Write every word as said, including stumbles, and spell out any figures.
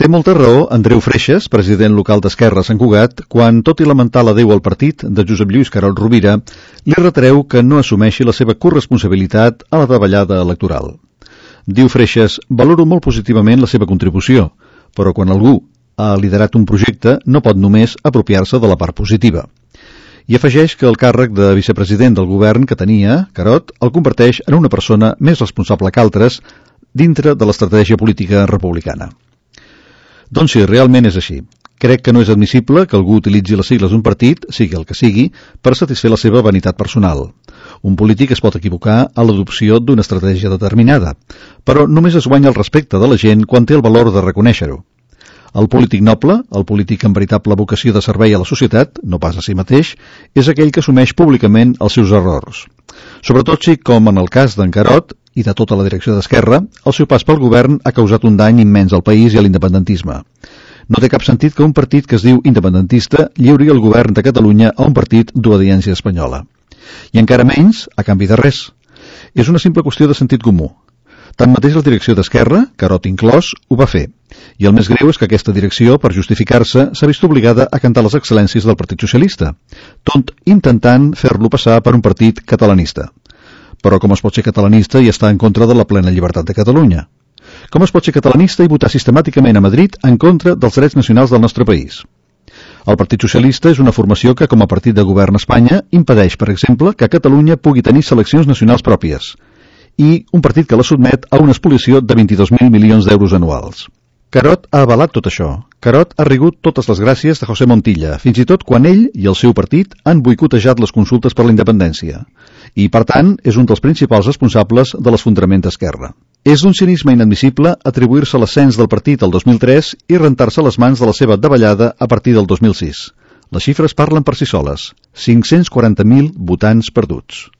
Té molta raó Andreu Freixas, president local d'Esquerra a Sant Cugat, quan, tot i lamentar l'adeu al partit de Josep Lluís Carod Rovira, li retreu que no assumeixi la seva corresponsabilitat a la davallada electoral. Diu Freixas: valoro molt positivament la seva contribució, però quan algú ha liderat un projecte no pot només apropiar-se de la part positiva. I afegeix que el càrrec de vicepresident del govern que tenia, Carod, el converteix en una persona més responsable que altres dintre de l'estratègia política republicana. Doncs sí, realment és així. Crec que no és admissible que algú utilitzi les sigles d'un partit, sigui el que sigui, per satisfer la seva vanitat personal. Un polític es pot equivocar a l'adopció d'una estratègia determinada, però només es guanya el respecte de la gent quan té el valor de reconèixer-ho. El polític noble, el polític amb veritable vocació de servei a la societat, no pas a si mateix, és aquell que assumeix públicament els seus errors. Sobretot si, com en el cas d'en Carod i de tota la direcció d'Esquerra, el seu pas pel govern ha causat un dany immens al país i a l'independentisme. No té cap sentit que un partit que es diu independentista lliuri el govern de Catalunya a un partit d'obediència espanyola. I encara menys a canvi de res. És una simple qüestió de sentit comú. Tanmateix la direcció d'Esquerra, Carod inclòs, ho va fer. I el més greu és que aquesta direcció, per justificar-se, s'ha vist obligada a cantar les excel·lències del Partit Socialista, tot intentant fer-lo passar per un partit catalanista. Però com es pot ser catalanista i estar en contra de la plena llibertat de Catalunya? Com es pot ser catalanista i votar sistemàticament a Madrid en contra dels drets nacionals del nostre país? El Partit Socialista és una formació que, com a partit de govern a Espanya, impedeix, per exemple, que Catalunya pugui tenir seleccions nacionals pròpies, i un partit que la sotmet a una expoliació de vint-i-dos mil milions d'euros anuals. Carod ha avalat tot això. Carod ha rigut totes les gràcies de José Montilla, fins i tot quan ell i el seu partit han boicotejat les consultes per la independència. I, per tant, és un dels principals responsables de l'esfondrament d'Esquerra. És un cinisme inadmissible atribuir-se l'ascens del partit el dos mil tres i rentar-se les mans de la seva davallada a partir del dos mil sis. Les xifres parlen per si soles. cinc-cents quaranta mil votants perduts.